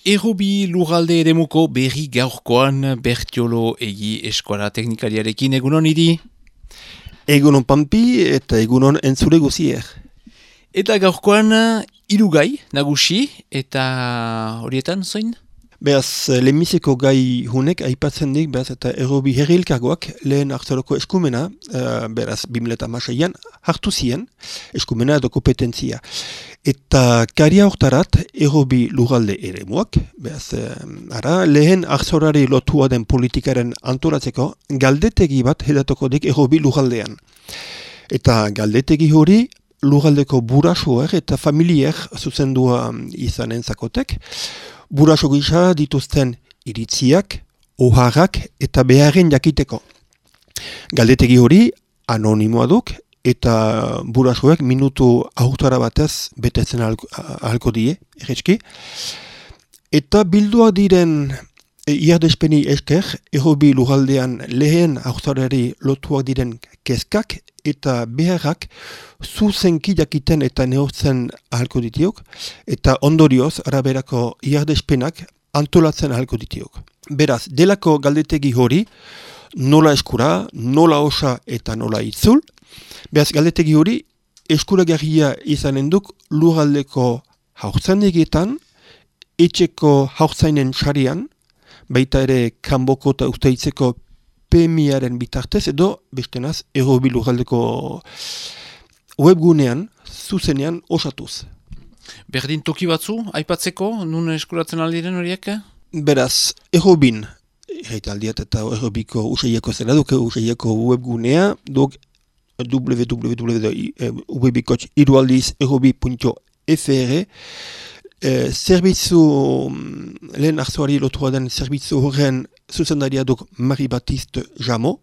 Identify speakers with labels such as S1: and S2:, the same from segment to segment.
S1: Errobi lurralde eremuko berri gaurkoan Bertiolo egi eskola teknikariarekin egunon iri.
S2: Egunon Pampi eta egunon entzule guzier.
S1: Eta gaurkoan hiru nagusi eta horietan zoin?
S2: Beraz, lehenbiziko gai hunek aipatzen dik, beraz, eta Errobi herri elkargoak lehen hartzaroko eskumena, beraz, 2016an hartu zien eskumena edo kompetentzia. Eta karia hortarat Errobi lurralde eremuak, beraz, lehen hartzarari lotua den politikaren antolatzeko galdetegi bat hedatuko dik Errobi lurraldean. Eta galdetegi hori lurraldeko burasoer eta familier zuzendua izanen zakotek, buraso gisa dituzten iritziak, oharrak eta beharren jakiteko. Galdetegi hori anonimoa duk eta burasoek minutu aurtara batez betetzen ahalko die, erretski. Eta bilduak diren iardespeni esker, Errobi lurraldean lehen aurtarari lotuak diren kezkak eta beharrak zuzenki jakiten eta neurtzen ahalko ditiok, eta ondorioz araberako iardespenak antolatzen ahalko ditiok. Beraz, delako galdetegi hori, nola eskura, nola osa eta nola itzul, beraz, galdetegi hori eskuragarria izanen duk lurraldeko haurtzaindegetan, etxeko haurtzainen sarian, baita ere kanboko eta usteitzeko PMIaren bitartez edo bestenaz Errobi lurraldeko webgunean zuzenean osatuz.
S1: Berdin toki batzu, aipatzeko, nun eskuratzen aldiren horiek?
S2: Beraz, Errobin, erraitaldiat eta Errobiko usaieko zela duk, usaieko webgunea, duk www.irualdiz.errobi.fr zerbitzu, lehen hartzuari lotua den zerbitzu horren zuzendaria duk Mari Baptiste Jamo,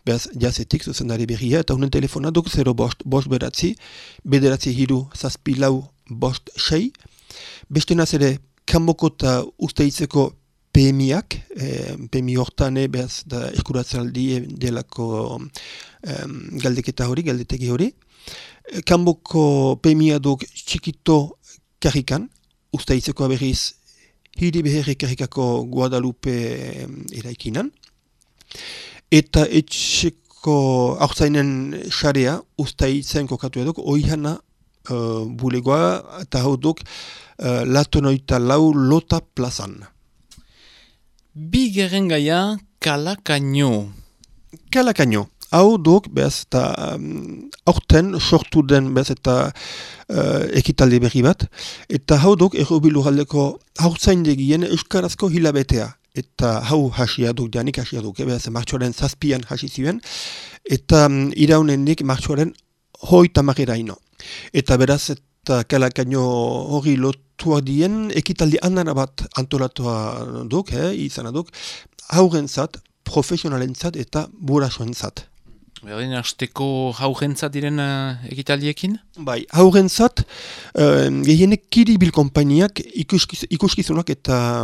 S2: beraz, jazetik zuzendari berria, eta honen telefona duk 0 bost beratzi, bederatzi hiru zazpilau bost sei, bestenaz ere kanboko eta usteitzeko PMIak, PMI hortane beraz da eskuratzen aldi delako galdeketa hori, galdetegi hori. Kanboko PMIa duk txikito karrikan, usteitzeko berriz hiri beherri karrikako Guadalupe eraikinan. Eta etxeko haurtzainen xarea ustaitzen kokatu eduk, oihana bulegoa eta hau duk latonoita lau lota plazan.
S1: Bigarren gaia Kalakaino.
S2: Kalakaino. Hau duk, behaz, eta aurten sortu den, behaz, eta ekitalde berri bat. Eta hau duk, Errobi lurraldeko haurtzaindegien euskarazko hilabetea. Eta hau hasia duk, janik hasia duk, behaz, martxoaren 7an hasi ziren. Eta iraunendik martxoaren 30 ino. Eta beraz, eta Kalakaino hori lotuak dien, ekitaldi andana bat antolatua duk, izana duk, haurentzat, profesionalentzat eta burasoentzat.
S1: Berdin, hasteko haurentzat diren ekitaldiekin?
S2: Bai, haurentzat, gehienek Kiribil konpainiak ikuskizunak eta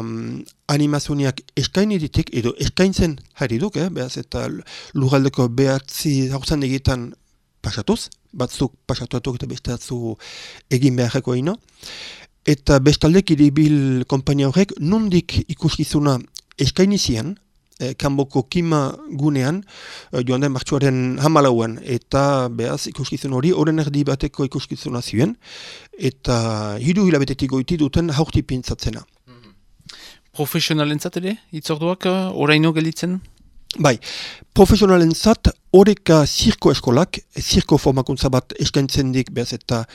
S2: animazioniak eskaini ditik, edo eskaintzen jarri duk, behaz, eta lurraldeko behatzi haurzandegetan pasatuz, batzuk pasatuatuk eta beste batzu egin beharreko ino. Eta bestalde Kiribil konpainia horrek nondik ikuskizuna eskaini zian, kanboko kima gunean, joan den martxoaren 14an, eta behaz ikuskizun hori, horren erdi bateko ikuskizuna ziren, eta 3 hilabetetik goiti duten haurti pintzatzena.
S1: Profesionalentzat ere, itzorduak oraino gelditzen?
S2: Bai, profesionalentzat horreka zirko eskolak, zirko formakuntza bat eskaintzen dik, behaz eta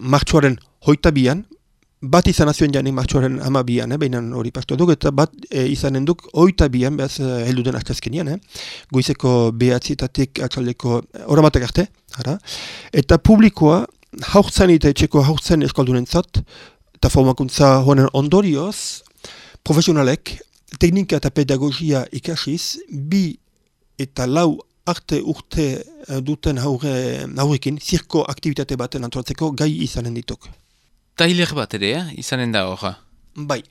S2: martxoaren 22an, bat izan azioen janik martxoaren 12an, behinan hori pastu duk, eta bat izanen duk 22an, behaz heldu den astezkenian, goizeko behatzietatik atxaldeko horamatak arte, eta publikoa haurtzain eta etxeko haurtzain eskaldunentzat, eta formakuntza honen ondorioz, profesionalek, teknika eta pedagogia ikasiz, 2 eta 4 arte urte duten haurrekin, zirko aktivitate baten antolatzeko gai izanen dituk.
S1: Tailer bat ere, izanen da hor?
S2: Bai,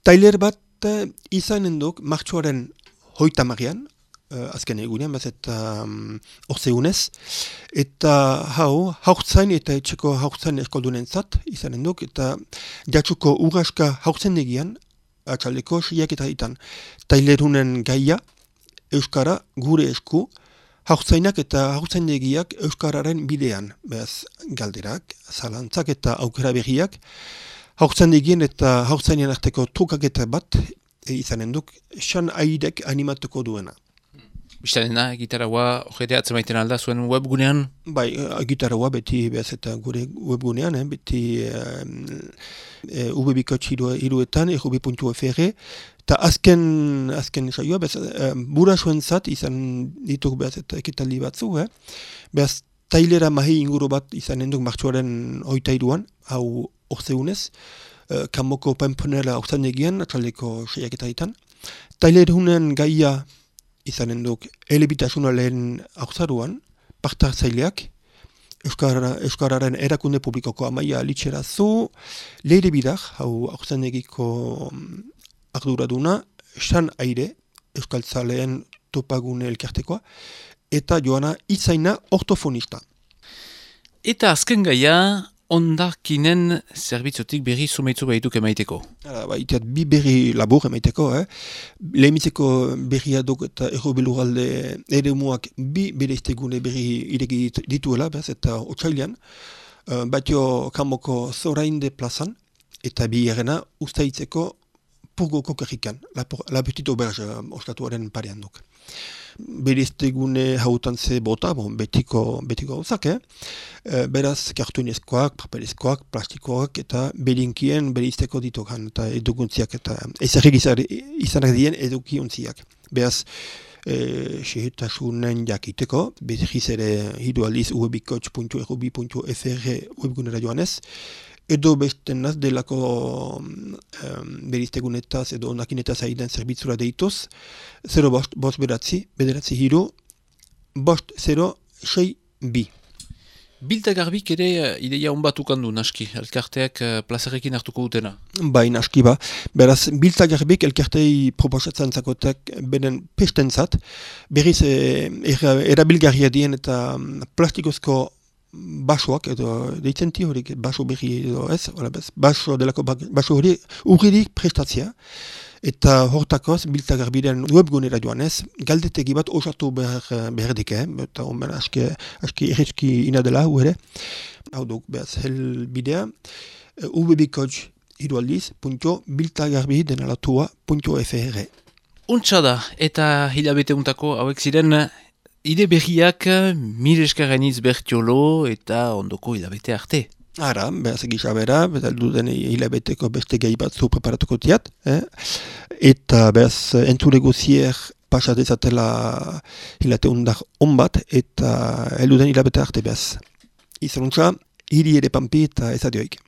S2: tailer bat izanen duk martxoaren 30an, azken egunean, bez eta orzeunez, eta haurtzain eta etxeko haurtzain eskoldunen zat izanen duk, eta jatsuko urraska haurtzaindegian atxaldeko 6:00 tailerunen gaia, Euskara gure esku, haurtzainak eta haurtzaindegiak Euskararen bidean, beraz galderak, zalantzak eta aukera berriak, haurtzaindegien eta haurtzainen arteko trukaketa bat izanen duk, Xan Aidek animatuko duena.
S1: Biztanena, gitaraua, hojete atzemaiten alda zuen webgunean?
S2: Bai, gitaraua beti behaz eta gure webgunean, beti ubebikotx hiruetan, errubi.fr, eta azken saioa, bura zuen zat, izan dituk behaz eta ekitaldi batzu, behaz tailera mahi inguru bat izanen duk martxuaren 23an, hau orzeunez, kanboko penponela aurzanegian, atxaldeko 6:00. Tailerunen gaia izanen duk elebitasuna lehen aurzaruan, partartzaileak, Euskararen erakunde publikoko Amaia Litxerazu, Leire Bidar, hau aurzenegiko arduraduna, Xan Aire, Euskaltzaleen topagune elkartekoa, eta Joana Itzaina ortofonista.
S1: Eta azken gaia, ondakinen zerbitzotik berri zumeitzu behituk emaiteko.
S2: Iteat bi berri labur emaiteko, Lehemitzeko berria duk eta errobiluralde ere muak bi bereiztegune berri iregi dituela, eta otsailean, batio kanboko zorainde plazan, eta bi errena ustaitzeko purgoko kerrikan, la petite auberge ostatuaren parean duk. Bereiztegune hautan ze bota, betiko gauzak, beraz kartunezkoak, papelezkoak, plastikoak eta berinkien bereizteko ditukan eta edukuntziak eta ezarrik izanak dien edukiontziak. Beraz, sehetasunen jakiteko, behiz ere hiru aldiz ubebikotx.errubi.fr webgunera joanez, edo besten naz delako bereiztegunetaz edo ondakinetaz aiden zerbitzura deituz, 0-5 hiru, 5-0-6-2.
S1: Bilta Garbik ere ideia honbatukan du, naski, elkarteak plazarekin hartuko dutena.
S2: Bai, naski ba. Beraz, Bilta Garbik elkartei proposatzen zakotek benen pestentzat, berriz erabilgarria dien eta plastikozko basoak, edo deitzenti horik, baso berri edo ez, baso delako baso hori urridik prestatzea, eta hortakoz Bilta Garbiren webgunera joanez, galdetegi bat osatu behar dike, eta omen aski erretzki ina dela, ere. Hau duk, behaz, helbidea, ubebikotx hirualdiz.biltagarbi.fr.
S1: Untsa da, eta hilabete untako hauek ziren ide berriak Mireskareniz Bertiolo eta ondoko hilabete arte.
S2: Ara, behaz egisa bera, duden hilabeteko beste gehi batzu preparatuko tiat, eta behaz entzule guzier pasat ezatela hilate undar onbat, eta elduden hilabete arte behaz. Izanuntza, hiri ere pampi eta ezadioik.